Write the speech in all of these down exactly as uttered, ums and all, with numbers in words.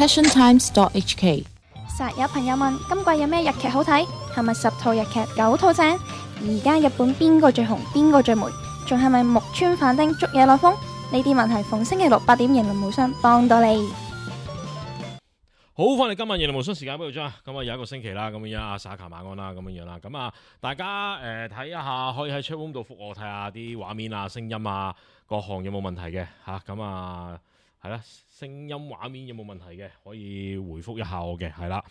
passion times dot h k。 實有朋友問今季有咩日劇好睇，係咪十套日劇九套正？而家日本邊個最紅，邊個最霉，仲係咪木村反町捉野內風？呢啲問題逢星期六八點言論無雙幫到你。好，翻嚟今日言論無雙時間俾到張，咁啊有一個星期啦，咁樣阿沙卡晚安啦，咁樣樣啦，咁啊大家誒睇一下，可以喺 chatroom 度覆我睇下啲畫面啊、聲音啊各項有冇問題嘅吓，咁啊係啦，聲音畫面有冇問題嘅可以回覆一下我嘅，係啦，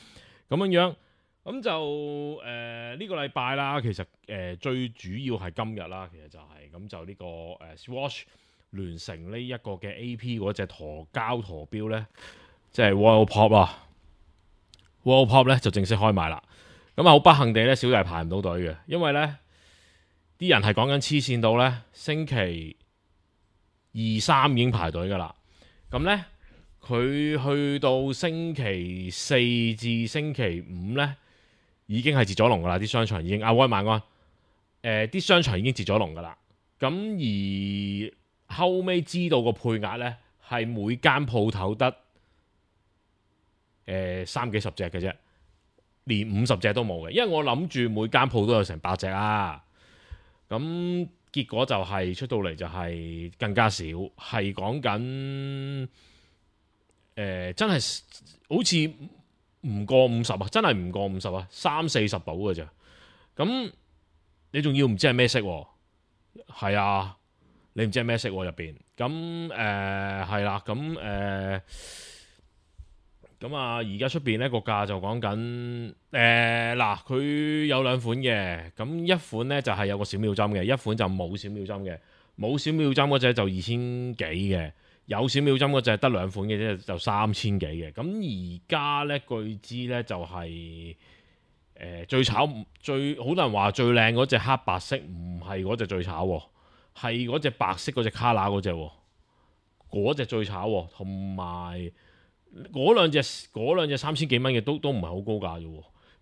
咁樣樣，咁就誒呢、呃這個禮拜啦，其實誒、呃、最主要係今日啦，其實就係、是、咁就呢、這個誒、呃、Swatch 聯成呢一個嘅 A P 嗰隻陀膠陀錶咧。即係 World Pop 啊 ，World Pop 咧就正式開賣啦。咁啊好不幸地咧，小弟排唔到隊嘅，因為咧啲人係講緊黐線到咧，星期二三已經排隊噶啦。咁咧佢去到星期四至星期五咧，已經係截咗龍噶啦。啲商場已經啊，喂晚安，誒、呃、啲商場已經截咗龍噶啦。咁而後尾知道個配額咧，係每間鋪頭得。誒、呃、三幾十隻嘅啫，連五十隻都冇嘅，因為我諗住每間鋪都有成百隻啊，咁結果就係、是、出到嚟就係更加少，係講緊誒真係好似唔過五十啊，真係唔過五十啊，三四十到嘅啫，咁你仲要唔知係咩色喎？係啊，你唔知係咩色喎入邊，咁誒係啦，咁誒。呃咁啊，而家出邊呢個價就講緊誒嗱，佢、呃、有兩款嘅，咁一款呢就係、是、有個小秒針嘅，一款就冇小秒針嘅，冇小秒針嗰隻就二千幾嘅，有小秒針嗰隻得兩款嘅啫，就三千幾嘅。咁而家呢，據知呢就係、是、誒、呃、最炒最好多人話最靚嗰隻黑白色，唔係嗰隻最炒，係嗰隻白色嗰隻卡拿嗰隻，嗰隻最炒，同埋。嗰兩隻嗰兩隻三千幾蚊嘅都都唔係好高價啫喎，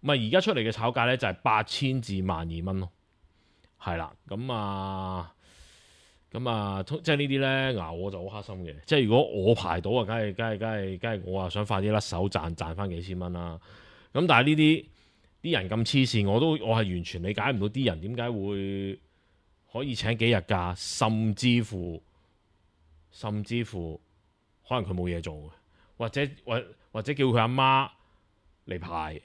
唔係而家出嚟嘅炒價咧就係八千至萬二蚊咯，係啦，咁啊咁啊，即係呢啲咧熬我就好黑心嘅，即係如果我排到啊，梗係梗係梗係梗係我啊想快啲甩手賺賺翻幾千蚊啦，咁但係呢啲啲人咁黐線，我都我係完全理解唔到啲人點解會可以請幾日假，甚至乎甚至乎可能佢冇嘢做嘅。或者或或者叫佢阿媽嚟排，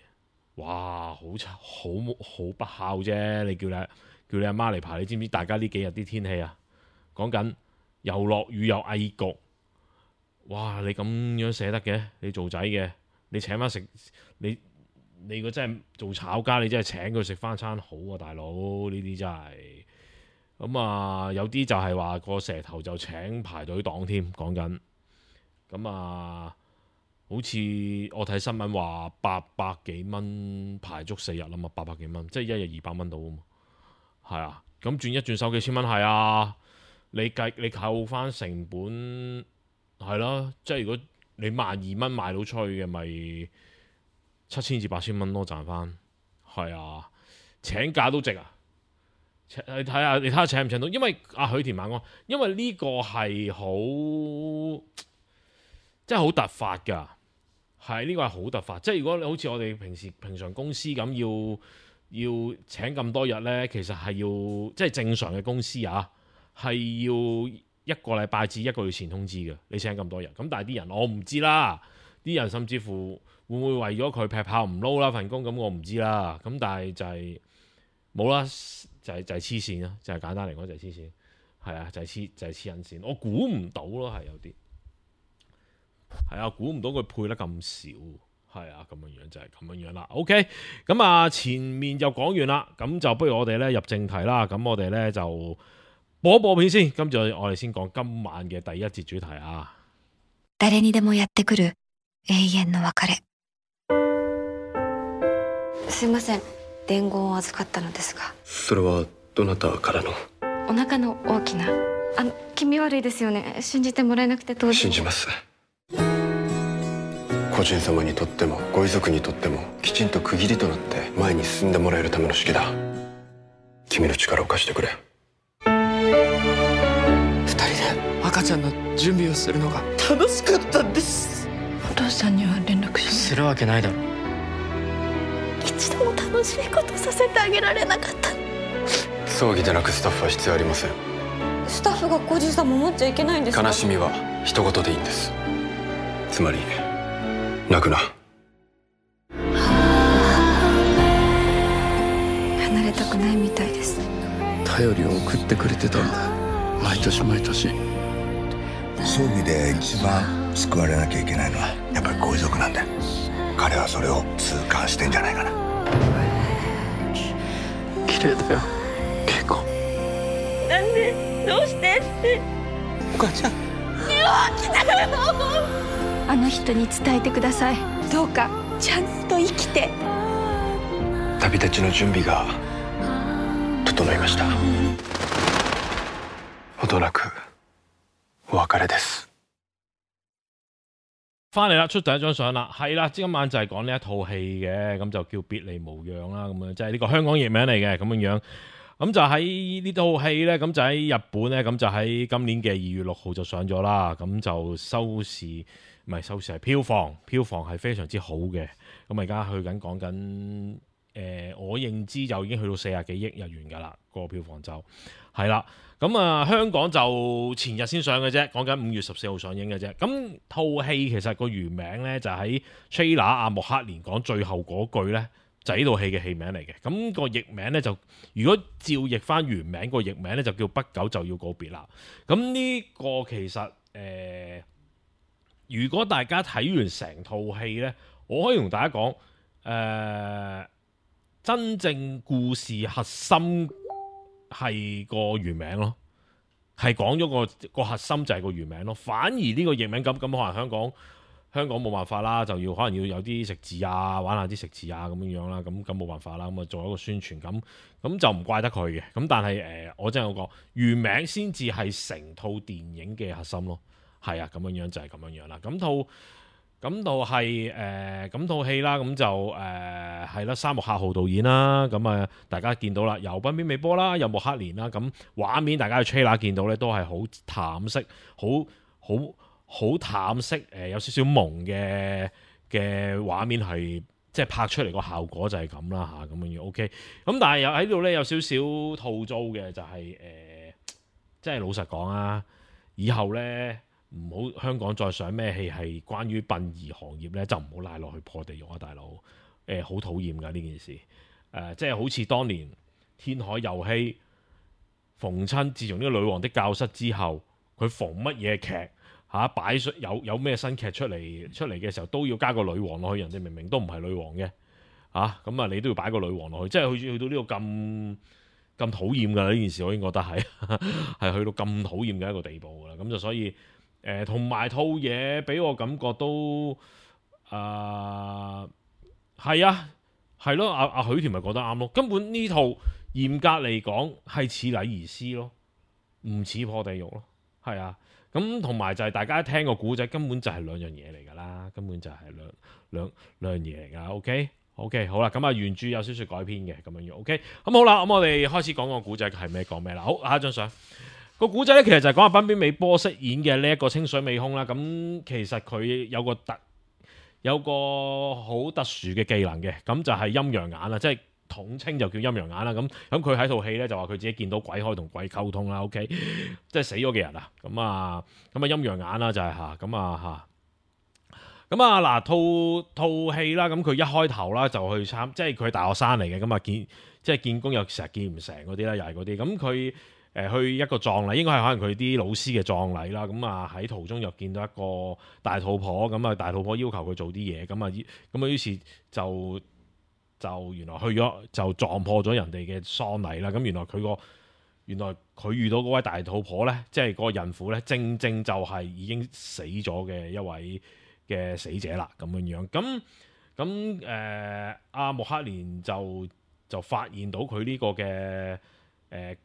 哇，好好好不孝啫！你叫你叫你阿媽嚟排，你知唔知大家呢幾日啲天氣啊？講緊又落雨又翳焗，哇！你咁樣捨得嘅？你做仔嘅，你請翻食你你如果真係做炒家，你真係請佢食翻餐好啊，大佬！呢啲真係咁啊！有啲就係話個蛇頭就請排隊黨添，講緊咁啊！好似我睇新聞話八百幾蚊排足四日啦嘛，八百幾蚊，即係一日二百蚊到啊嘛，係啊，咁轉一轉手幾千蚊係啊，你計你扣翻成本係咯，即係如果你萬二蚊賣到出去嘅，咪七千至八千蚊咯賺翻，係啊，請假都值啊，請你睇下你睇下請唔請到，因為阿許田晚安，因為呢個係好。真係好突發㗎，係呢個係好突發。即係如果你好似我哋平時平常公司咁要要請咁多日呢，其實係要即係正常嘅公司啊，係要一個禮拜至一個月前通知嘅。你請咁多日，咁但係啲人我唔知啦，啲人甚至乎會唔會為咗佢劈炮唔撈啦份工，咁我唔知啦。咁但係就係冇啦，就係就係黐線啦，就係簡單嚟講就係黐線，係啊，就係黐就係黐緊線。我估唔到咯，係有啲。係啊，估唔到佢配得咁少，係啊，咁樣樣就係咁樣樣啦。OK，咁啊前面就講完啦，咁就不如我哋咧入正題啦。咁我哋咧就播一播片先，跟住我哋先講今晚嘅第一節主題啊。誰にでもやってくる永遠の別れ。すいません、伝言を預かったのですが。それはどなたからの？お腹の大きな。あの気味悪いですよね。信じてもらえなくて当然。信じます。個人様にとってもご遺族にとってもきちんと区切りとなって前に進んでもらえるための式だ。君の力を貸してくれ。二人で赤ちゃんの準備をするのが楽しかったんです。本当父さんには連絡しするわけないだろ。一度も楽しいことさせてあげられなかった。葬儀で泣くスタッフは必要ありません。スタッフが個人差も持っちゃいけないんですか？悲しみは人事でいいんです。つまり泣くな。離れたくないみたいです。頼りを送ってくれてたんだ、毎年毎年。葬儀で一番救われなきゃいけないのはやっぱりご遺族なんだよ。彼はそれを痛感してんじゃないかな。綺麗だよ恵子。なんでどうしてってお母ちゃん。あの人に伝えてください。どうかちゃんと生きて。旅立ちの準備が整いました。ほどなくお別れです。翻嚟啦，出第一張相啦，係啦，今晚就係講呢一套戲嘅，咁就叫別離無恙啦，咁樣即係呢個香港譯名嚟嘅咁樣樣。咁就喺呢套戲呢，咁就喺日本呢，咁就喺今年嘅二月六號就上咗啦，咁就收視唔係收視係票房，票房係非常之好嘅。咁而家去緊講緊。誒、呃，我認知就已經去到四十幾億日元㗎啦，個票房就係啦。咁啊，香港就前日先上嘅啫，講緊五月十四號上映嘅啫。咁套戲其實個原名呢，就喺 trailer 阿莫克連講最後嗰句呢，就係呢套戲嘅戲名嚟嘅。咁、個譯名呢，就如果照譯翻原名個譯名呢，就叫不久就要告別啦。咁呢個其實誒、呃，如果大家睇完成套戲呢，我可以同大家講誒。呃真正故事核心係個原名咯，係講咗個個核心就係個原名咯。反而呢個譯名咁咁可能香港香港冇辦法啦，就要可能要有啲食字啊，玩下啲食字啊咁樣樣啦。咁咁冇辦法啦，咁啊做一個宣傳咁咁就唔怪得佢嘅。咁但係誒、呃，我真係講原名先至係成套電影嘅核心咯。係啊，咁樣樣就係咁樣樣啦。咁套。咁到係誒咁套戲啦，咁就誒係啦，三木客浩導演啦，咁啊大家見到啦，有濱邊美波啦，有木克連啦，咁畫面大家去 trailer 見到咧，都係好淡色，好好好淡色，誒、呃、有少少朦嘅嘅畫面係即係拍出嚟個效果就係咁啦嚇，咁樣樣 OK。咁但係有喺度咧有少少吐槽嘅就係、是、誒，即、呃、係老實講啊，以後咧。唔好香港再上咩戲係關於殯儀行業咧，就唔好拉落去破地獄啊，大佬！誒、呃，好討厭㗎呢件事。誒、呃，即係好似當年天海遊戲逢親，自從呢個女王的教室之後，佢逢乜嘢劇嚇、啊、擺出有有咩新劇出嚟出嚟嘅時候，都要加個女王落去。人哋明明都唔係女王嘅嚇，咁啊你都要擺個女王落去，即係去去到呢個咁咁討厭㗎呢件事，我已經覺得係係去到咁討厭嘅一個地步㗎啦。咁就所以。誒同埋套嘢俾我感覺都誒係啊係咯，阿阿許田咪覺得啱咯。根本呢套嚴格嚟講係似禮儀師咯，唔似破地獄咯。係啊，咁同埋就係大家聽個古仔根本就係兩樣嘢嚟㗎啦，根本就係兩兩兩樣嘢嚟㗎。OK OK 好啦，咁啊原著有少少改編嘅咁樣樣。OK 咁好啦，咁我哋開始講個古仔係咩講咩啦。好，下一張相。個古仔咧，其實就係講阿濱邊美波飾演嘅呢一個清水美空啦。咁其實佢有個特有個好特殊嘅技能嘅，咁就係陰陽眼啦，即係統稱就叫陰陽眼啦。咁咁佢喺套戲咧就話佢自己見到鬼可以同鬼溝通啦。OK， 即係死咗嘅人啊。咁啊咁啊陰陽眼啦就係嚇咁啊嚇。咁啊嗱套套戲啦，咁佢一開頭啦就去參，即係佢係大學生嚟嘅，咁啊見即係見工又成日見唔成嗰啲啦，又係嗰啲咁佢。誒去一個葬禮，應該係可能佢啲老師嘅葬禮啦。咁啊喺途中又見到一個大肚婆，咁啊大肚婆要求佢做啲嘢，咁啊咁啊於是就就原來去咗就撞破咗人哋嘅喪禮啦。咁原來佢個原來佢遇到嗰位大肚婆咧，即係嗰個孕婦咧，正正就係已經死咗嘅一位嘅死者啦。咁樣樣咁咁誒阿木克連就就發現到佢呢個嘅誒。呃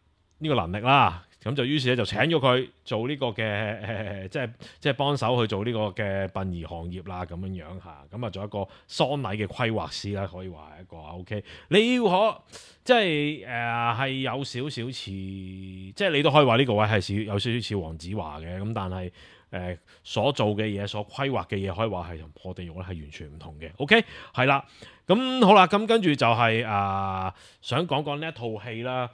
呢個能力啦，咁就於是咧就請咗佢做呢個嘅誒、呃，即係即係幫手去做呢個嘅殯儀行業啦，咁樣樣嚇，咁啊做一個喪禮嘅規劃師啦，可以話係一個 OK。你要可即係誒係有少少似，即係你都可以話呢個位係少有少少似黃子華嘅，咁但係呃、所做嘅嘢、所規劃嘅嘢，可以話係同破地獄咧係完全唔同嘅。OK， 係啦，咁好啦，咁跟住就係、是、啊、呃，想講講呢一套戲啦。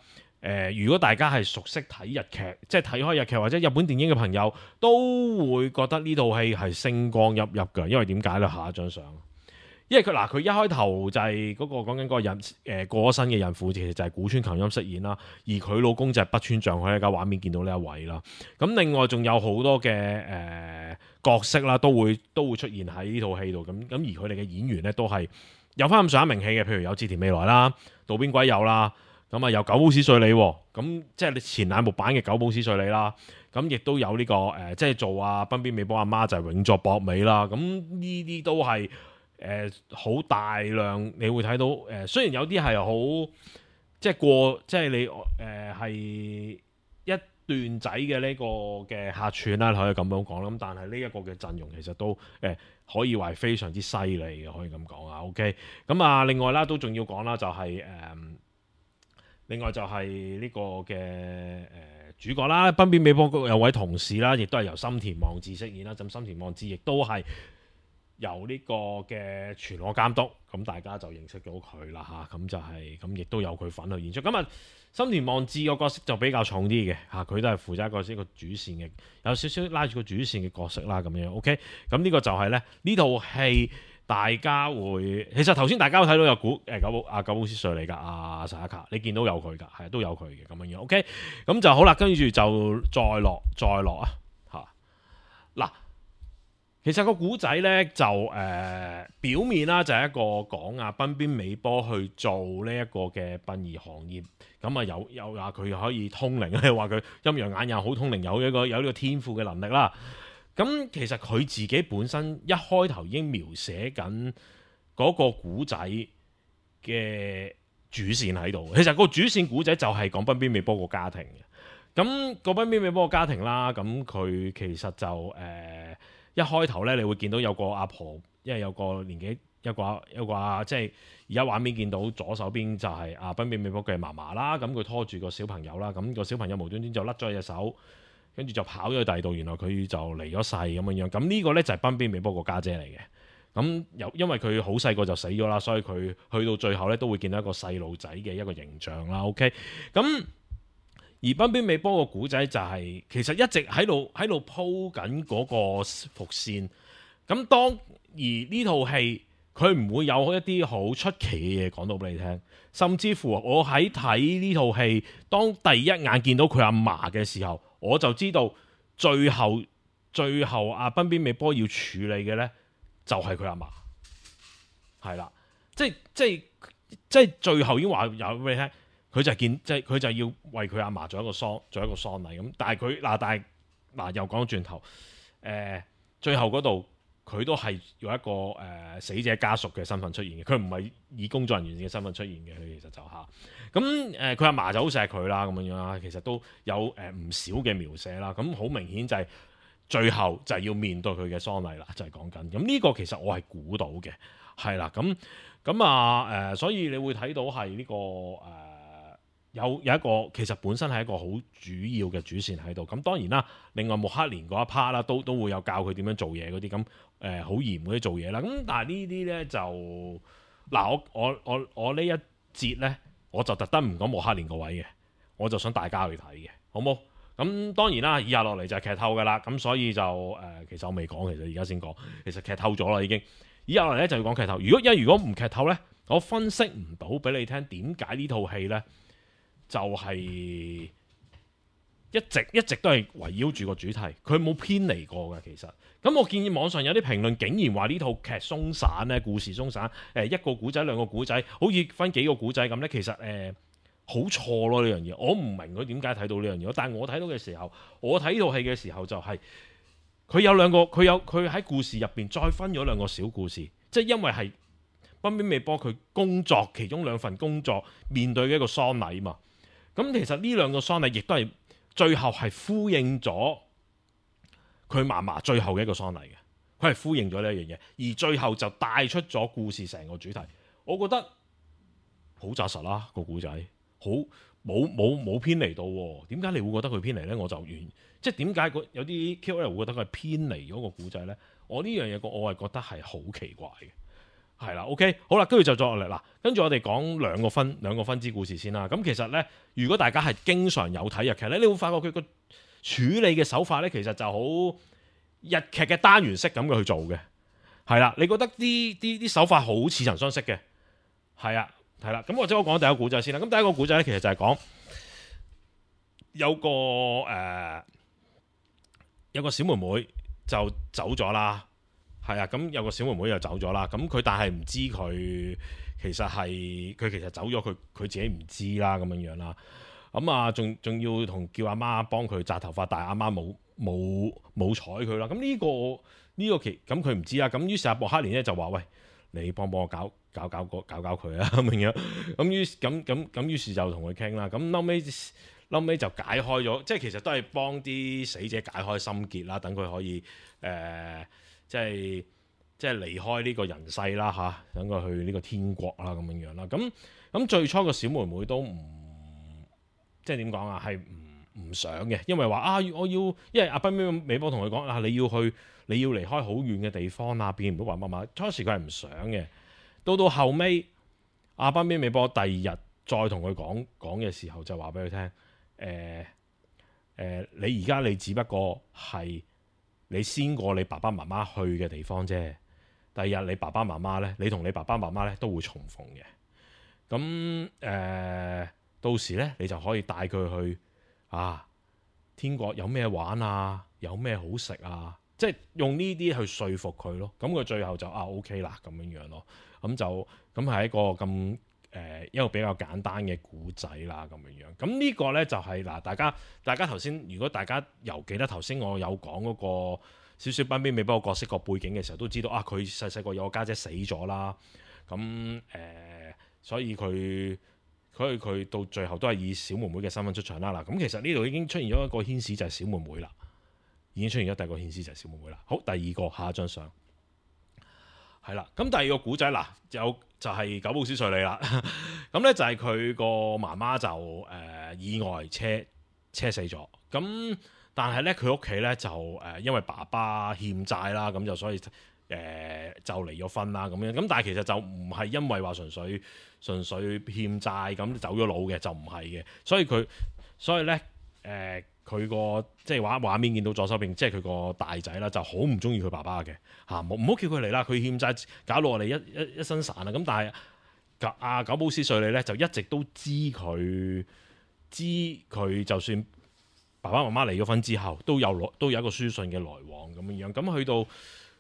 誒、呃，如果大家係熟悉睇日劇，即係睇開日劇或者日本電影嘅朋友，都會覺得呢套戲係星光熠熠嘅。因為點解咧？下一張相，因為佢嗱佢一開頭就係嗰、那個講緊嗰個孕誒、呃、過咗身嘅孕婦，其實就係古川琴音飾演啦。而佢老公就係北村匠海，喺個畫面見到呢一位啦。咁另外仲有好多嘅誒、呃、角色啦，都會都會出現喺呢套戲度。咁咁而佢哋嘅演員咧都係有翻咁上下名氣嘅，譬如有志田未來啦、渡邊圭佑啦。咁啊，有久保史緒里，咁即係你前兩部版嘅久保史緒里啦。咁亦都有呢、這個誒、呃，即係做阿濱邊美波阿媽就係、是、永作博美啦。咁呢啲都係誒好大量，你會睇到誒、呃。雖然有啲係好即係過，即係你誒係、呃、一段仔嘅呢個嘅客串啦，可以咁樣講啦。咁但係呢一個嘅陣容其實都誒、呃、可以話係非常之犀利嘅，可以咁講啊。OK， 咁啊，另外啦都仲要講啦，就係、是、誒。呃另外就係呢個嘅誒主角啦，濱邊美波有位同事啦，亦都係由深田望志飾演啦。咁深田望志亦都係由呢個嘅全裸監督，咁大家就認識到佢啦嚇。咁就係咁，亦都有佢份去演出。咁啊，深田望志個角色就比較重啲嘅嚇，佢都係負責一個一個主線嘅，有少少拉住個主線嘅角色啦咁樣。OK，咁呢個就係咧呢套戲。大家會其實頭先大家都睇到有古誒久保阿久保史緒里嚟㗎，阿薩卡你見到有佢㗎，係都有佢嘅咁樣樣。OK， 咁就好啦，跟住就再落再落啊嚇嗱。其實個古仔咧就誒、呃、表面啦，就係一個講啊濱邊美波去做呢一個嘅殯儀行業，咁啊有有話佢可以通靈咧，話佢陰陽眼又好通靈，有一個有呢個天賦嘅能力啦。咁其實佢自己本身一開頭已經描寫緊嗰個古仔嘅主線喺度。其實個主線古仔就係講濱邊美波個家庭嘅。咁個濱邊美波個家庭啦，咁佢其實就誒、呃、一開頭咧，你會見到有個阿婆，因為有個年紀一個一個啊，即係而家畫面見到左手邊就係阿濱邊美波嘅嫲嫲啦。咁佢拖住個小朋友啦，咁個小朋友無端端就甩咗隻手。跟住就跑咗去第二度，原來佢就離咗世咁樣樣。咁呢個呢，就係濱邊美波個家姐嚟嘅。咁有因為佢好細個就死咗啦，所以佢去到最後呢，都會見到一個細路仔嘅一個形象啦。OK， 咁而濱邊美波個古仔就係、是、其實一直喺度喺度鋪緊嗰個伏線。咁當而呢套戲佢唔會有一啲好出奇嘅嘢講到俾你聽，甚至乎我喺睇呢套戲，當第一眼見到佢阿嫲嘅時候，我就知道最後最後阿濱邊美波要處理嘅呢，就係佢阿嫲，係啦，即係即係即係最後已經話有俾你聽，佢就見即係佢就要為佢阿嫲做一個喪做一個喪禮咁，但係佢嗱但係嗱又講轉頭，誒、呃、最後嗰度佢都係用一個誒、呃、死者家屬嘅身份出現嘅，佢唔係以工作人員嘅身份出現嘅，佢其實就嚇。咁誒佢阿嫲就好錫佢啦，咁樣樣啦，其實都有誒唔、呃、少嘅描寫啦。咁好明顯就係最後就係要面對佢嘅喪禮啦，就係講緊。咁呢個其實我係估到嘅，係啦。咁咁啊誒、呃，所以你會睇到係呢、這個誒、呃、有有一個其實本身係一個好主要嘅主線喺度。咁當然啦，另外木克連嗰一 part 啦，都都會有教佢點樣做嘢嗰啲咁誒好嚴嗰啲做嘢啦。咁但係呢啲咧就嗱我我我我呢一節咧。我就特登唔講木克連個位嘅，我就想大家去睇嘅，好冇？咁當然啦，以下落嚟就係劇透㗎啦，咁所以就誒、呃，其實我未講，其實而家先講，其實劇透咗啦已經。以下落嚟咧就要講劇透。如果因為如果唔劇透咧，我分析唔到俾你聽點解呢套戲咧就係、是、一直一直都係圍繞住個主題，佢冇偏離過嘅其實。咁我建議網上有啲評論竟然話呢套劇鬆散咧，故事鬆散，誒一個古仔兩個古仔，好似分幾個古仔咁咧，其實誒好錯咯呢樣嘢，我唔明佢點解睇到呢樣嘢，但係我睇到嘅時候，我睇呢套戲嘅時候就係、是、佢有兩個，佢有佢喺故事入邊再分咗兩個小故事，即係因為係濱邊美波佢工作其中兩份工作面對嘅一個喪禮嘛，咁其實呢兩個喪禮亦都係最後係呼應咗佢嫲嫲最後嘅一個喪禮嘅，佢係呼應咗呢一樣嘢，而最後就帶出咗故事成個主題。我覺得好紮實啦個故仔，好冇冇冇偏離到喎？點解你會覺得佢偏離咧？我就完即係點解有啲 K O L 會覺得佢係偏離咗個古仔咧？我呢樣嘢我係覺得係好奇怪嘅。係啦 ，OK， 好啦，跟住就再落嚟啦。跟住我哋講兩個分兩個分支故事先啦。咁其實咧，如果大家係經常有睇日劇咧，你會發覺佢個處理嘅手法咧，其實就好日劇嘅單元式咁嘅去做嘅。係啦，你覺得啲啲啲手法好似曾相識嘅。係啊，係啦。咁或者我講第一個古仔先啦。咁第一個古仔咧，其實就係講有個誒、呃、有個小妹妹就走咗啦。係啊，咁有個小妹妹又走咗啦，咁佢但係唔知佢其實係佢其實走咗，佢佢自己唔知啦咁樣樣啦。咁啊，仲仲要同叫阿媽幫佢紮頭髮，但係阿媽冇冇冇睬佢啦。咁呢個呢個期咁佢唔知啦。咁於是阿博克連咧就話：喂，你幫幫我搞搞搞個搞搞佢啊咁樣。咁於咁咁咁於是就同佢傾啦。咁後尾後尾就解開咗，即係其實都係幫啲死者解開心結啦，等佢可以誒。呃即係即係離開呢個人世啦嚇，等佢去呢個天國啦咁樣樣啦。咁咁最初個小妹妹都唔即係點講啊？係唔唔想嘅，因為話啊，我要因為阿濱美波同佢講啊，你要去你要離開好遠嘅地方啊，變唔到話乜乜。初時佢係唔想嘅，到到後尾阿濱美波第二日再同佢講講嘅時候，就話俾佢聽誒誒，你而家你只不過係。你先過你爸爸媽媽去嘅地方啫。第二日你爸爸媽媽咧，你同你爸爸媽媽咧都會重逢嘅。咁誒、呃，到時咧你就可以帶佢去啊，天國有咩玩啊，有咩好食啊，即係用呢啲去說服佢咯。咁佢最後就啊 OK 啦咁樣樣咯。咁就咁係一個咁誒、呃、一個比較簡單嘅古仔啦咁樣樣。咁呢個咧就係、是、嗱，大家大家頭先，如果大家又記得頭先我有講嗰個少少濱邊美波個角色個背景嘅時候，都知道啊，佢細細個有個家姐死咗啦。咁誒、呃，所以佢佢佢到最後都係以小妹妹嘅身份出場啦。嗱，咁其實呢度已經出現咗一個牽使，就係小妹妹啦，已經出現咗第二個牽使，就係小妹妹啦。好，第二個下一張相。係啦，咁第二個古仔嗱，有就係久保史緒里啦。咁咧就係佢個媽媽就誒、呃、意外車車死咗。咁但係咧佢屋企咧就誒、呃、因為爸爸欠債啦，咁就所以誒、呃、就離咗婚啦咁樣。咁但係其實就唔係因為話純粹純粹欠債咁走咗佬嘅，就唔係嘅。所以佢所以咧誒佢個即係畫畫面見到左手邊，即係佢個大仔啦，就好唔中意佢爸爸嘅嚇，唔好叫佢嚟啦，佢欠債搞到我哋一一一身散啊！咁但係阿久保史緒里咧就一直都知佢知佢就算爸爸媽媽離咗婚之後，都有都有一個書信嘅來往咁樣樣。咁去到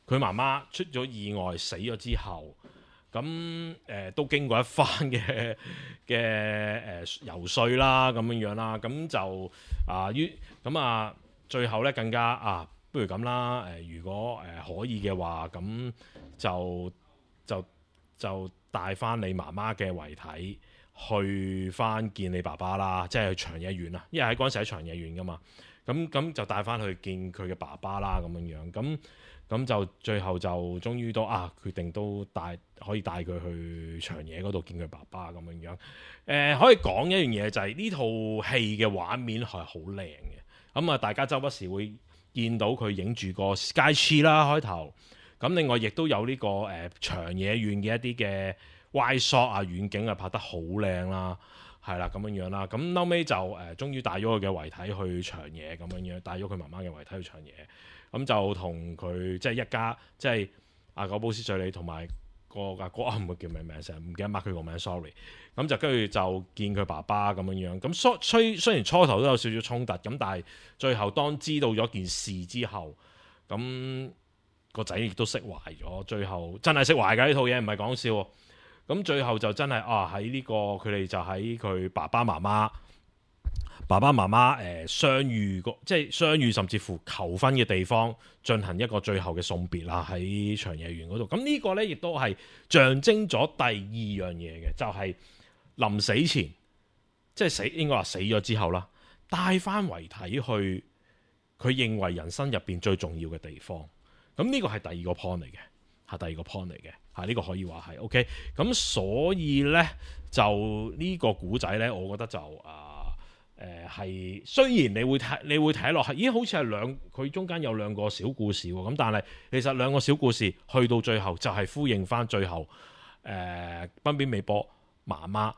佢媽媽出咗意外死咗之後，咁誒、呃、都經過一番嘅嘅誒遊說啦，咁樣樣啦，咁就啊於咁啊最後咧更加啊，不如咁啦，誒、呃、如果誒、呃、可以嘅話，咁就就就帶翻你媽媽嘅遺體去翻見你爸爸啦，即係去長野縣啦，因為喺嗰陣時喺長野縣噶嘛，咁咁就帶翻去見佢嘅爸爸啦，咁樣樣咁。咁就最後就終於都啊決定都帶可以帶佢去長野嗰度見佢爸爸咁樣樣。誒、呃、可以講一樣嘢就係呢套戲嘅畫面係好靚嘅。咁啊大家周不時會見到佢影住個 Sky Tree 啦開頭。咁另外亦都有呢、這個誒、呃、長野縣嘅一啲嘅 wide shot 啊遠景啊拍得好靚啦，係啦咁樣樣啦。咁後尾就誒、呃、終於帶咗佢嘅遺體去長野咁樣樣，帶咗佢媽媽嘅遺體去長野。咁就同佢即係一家，即係阿久保史緒里同埋個阿哥啊，唔會叫咩名，成日唔記得 mark 佢個名 ，sorry。咁就跟住就見佢爸爸咁樣樣。咁雖雖然初頭都有少少衝突，咁但係最後當知道咗件事之後，咁個仔亦都釋懷咗。最後真係釋懷㗎，呢套嘢唔係講笑。咁最後就真係啊喺呢、這個佢哋就喺佢爸爸媽媽。爸爸媽媽誒、呃、相遇個即係相遇，甚至乎求婚嘅地方進行一個最後嘅送別啦，喺長野縣嗰度。咁呢個呢，亦都係象徵咗第二樣嘢嘅，就係、是、臨死前，即係死應該話死咗之後啦，帶翻遺體去佢認為人生入邊最重要嘅地方。咁呢個係第二個 point 嚟嘅。係第二個 point 嚟嘅嚇，呢、呢個可以話係 OK。咁所以咧就呢個古仔咧，我覺得就啊誒係雖然你會睇你會睇落係，咦好似係兩佢中間有兩個小故事喎，咁但係其實兩個小故事去到最後就係呼應翻最後誒濱邊美波媽媽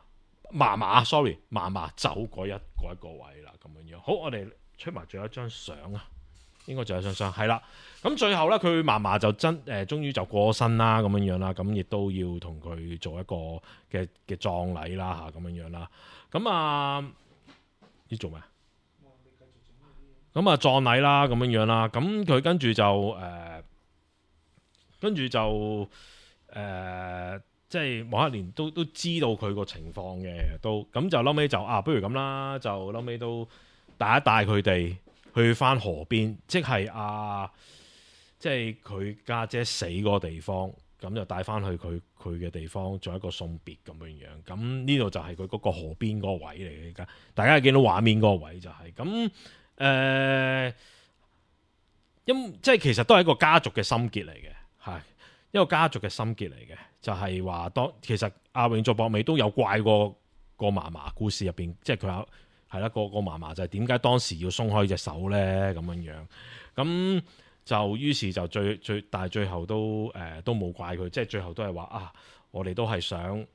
嫲嫲 sorry 嫲嫲走嗰一嗰一個位啦，咁樣樣。好，我哋出埋最後一張相啊！應該仲有張相，係啦。咁最後咧，佢嫲嫲就真誒、呃，終於就過身啦，咁樣樣啦。咁亦都要同佢做一個嘅嘅葬禮啦，嚇咁樣樣啦。咁啊，要做咩？咁啊，葬禮啦，咁樣樣啦。咁佢跟住就誒、呃，跟住就誒、呃，即係黃克蓮都都知道佢個情況嘅，都咁就後尾就啊，不如咁啦，就後尾都帶一帶佢哋。去翻河邊，即係啊，即係佢家姐死嗰個地方，咁就帶翻去佢佢嘅地方做一個送別咁樣樣。咁呢度就係佢嗰個河邊嗰個位嚟嘅。而家大家見到畫面嗰個位就係咁誒，因即係其實都係一個家族嘅心結嚟嘅，係一個家族嘅心結嚟嘅，就係話當其實阿永作博美都有怪過個嫲嫲故事入邊，即係佢有。係啦，個個嫲嫲就係點解當時要鬆開隻手咧？咁樣樣，咁就於是就最最，但係最後都誒、呃、都冇怪佢，即係最後都係話啊，我哋都係想誒、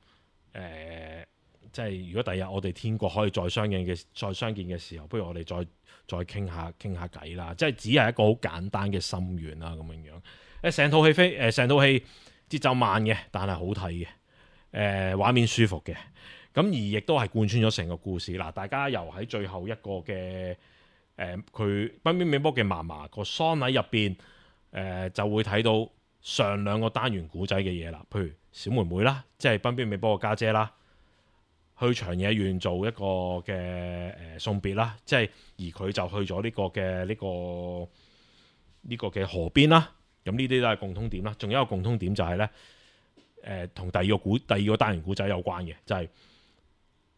呃，即係如果第日我哋天國可以再相見嘅再相見嘅時候，不如我哋再再傾下傾下偈啦。即係只係一個好簡單嘅心願啦，咁樣樣。誒成套戲飛誒成套戲節奏慢嘅，但係好睇嘅，誒、呃、畫面舒服嘅。咁而亦都係貫穿咗成個故事嗱，大家由喺最後一個嘅誒佢濱邊美波嘅嫲嫲個喪禮入邊誒就會睇到上兩個單元古仔嘅嘢啦，譬如小妹妹啦，即係濱邊美波個家姐啦，去長野縣做一個嘅誒、呃、送別啦，即係而佢就去咗呢個嘅呢、呢個呢、呢個嘅河邊啦，咁呢啲都係共通點啦。仲有一個共通點就係咧誒同第二個古第二個單元古仔有關嘅，就係、是。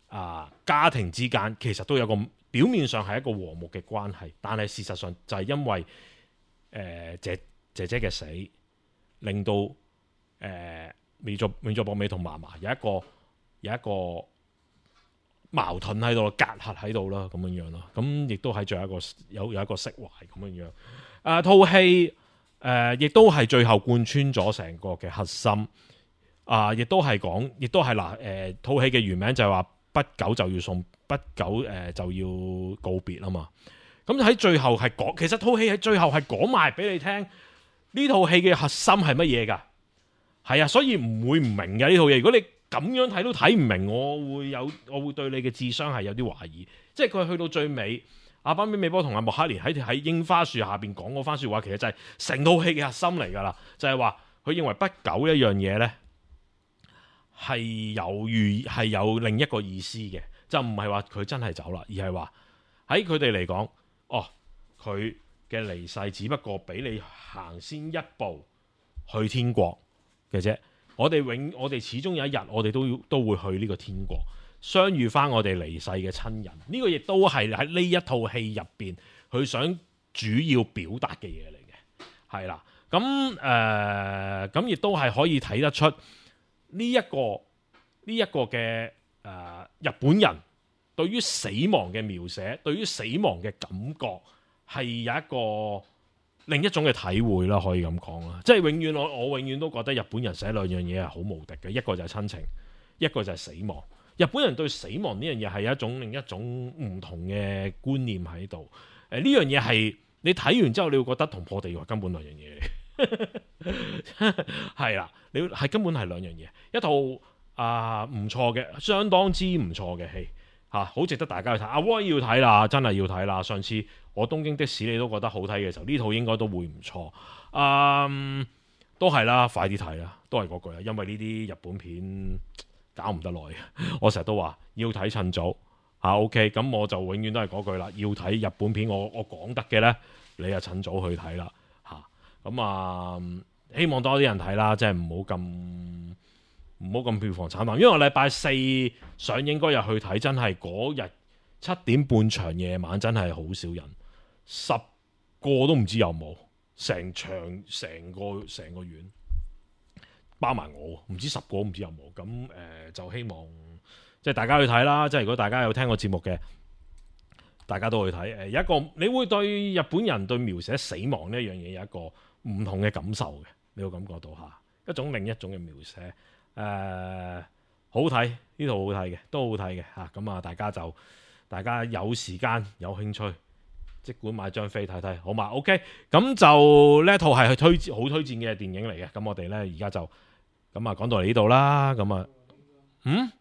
啊，家庭之間其實都有個表面上係一個和睦嘅關係，但係事實上就係因為誒、呃、姐姐姐嘅死，令到誒永作永作博美同嫲嫲有一個有一個矛盾喺度，隔閡喺度啦，咁樣樣咯。咁亦都係最後一個有有一個釋懷咁樣樣。誒套戲誒亦都係最後貫穿咗成個嘅核心。啊，亦都係講，亦都係嗱誒套戲嘅原名就係話。不久就要送，不久誒、呃、就要告別啊嘛。咁喺最後係講，其實套戲喺最後係講埋俾你聽，呢套戲嘅核心係乜嘢㗎？係啊，所以唔會唔明嘅呢套嘢。如果你咁樣睇都睇唔明，我會有，我會對你嘅智商係有啲懷疑。即係佢去到最尾，阿濱邊美波同阿莫克蓮喺喺櫻花樹下邊講嗰番説話，其實就係成套戲嘅核心嚟㗎啦。就係話佢認為不久一樣嘢咧。係有寓係有另一個意思嘅，就唔係話佢真係走啦，而係話喺佢哋嚟講，哦，佢嘅離世只不過俾你行先一步去天國嘅啫。我哋永我哋始終有一日，我哋都要都會去呢個天國相遇翻我哋離世嘅親人。呢、這個亦都係喺呢一套戲入邊佢想主要表達嘅嘢嚟嘅，係啦。咁誒咁亦都係可以睇得出。呢一個呢一個嘅誒、呃、日本人對於死亡嘅描寫，對於死亡嘅感覺係有一個另一種嘅體會啦，可以咁講啦。即係永遠我我永遠都覺得日本人寫兩樣嘢係好無敵嘅，一個就係親情，一個就係死亡。日本人對死亡呢樣嘢係有一種另一種唔同嘅觀念喺度。誒呢樣嘢係你睇完之後，你會覺得同破地獄根本兩樣嘢嚟。係啦，你係根本係兩樣嘢，一套啊唔錯嘅，相當之唔錯嘅戲吓，好值得大家去睇。阿威要睇啦，真係要睇啦。上次我東京的士你都覺得好睇嘅時候，呢套應該都會唔錯。嗯，都係啦，快啲睇啦，都係嗰句啦，因為呢啲日本片搞唔得耐。我成日都話要睇趁早吓。OK，咁我就永遠都係嗰句啦，要睇日本片，我我講得嘅呢，你啊趁早去睇啦。咁啊、嗯，希望多啲人睇啦，即係唔好咁唔好咁票房慘淡。因為我禮拜四上映嗰日去睇，真係嗰日七點半場夜晚真係好少人，十個都唔知有冇，成場成個成個院包埋我，唔知十個唔知有冇。咁誒、呃、就希望即係大家去睇啦。即係如果大家有聽過節目嘅，大家都去睇。誒有一個你會對日本人對描寫死亡呢一樣嘢有一個唔同嘅感受嘅，你會感覺到嚇一種另一種嘅描寫。誒、呃、好睇，呢套好睇嘅，都好睇嘅嚇。咁啊，大家就大家有時間有興趣，即管買張飛睇睇，好嘛 ？OK， 咁就呢一套係去推薦好推薦嘅電影嚟嘅。咁我哋呢而家就咁啊講到嚟呢度啦。咁啊，嗯，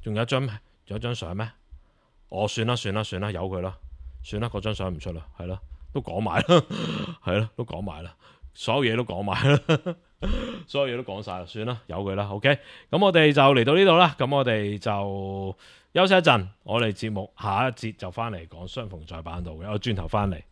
仲有一張咩？仲有一張相咩？我、哦、算啦算啦算啦，由佢啦，算啦，嗰張相唔出啦，係咯，都講埋啦，係咯，都講埋啦，所有嘢都講埋啦，所有嘢都講晒啦，算啦，由佢啦。OK，咁我哋就嚟到呢度啦。咁我哋就休息一陣，我哋節目下一節就翻嚟講相逢在版度嘅，我轉頭翻嚟。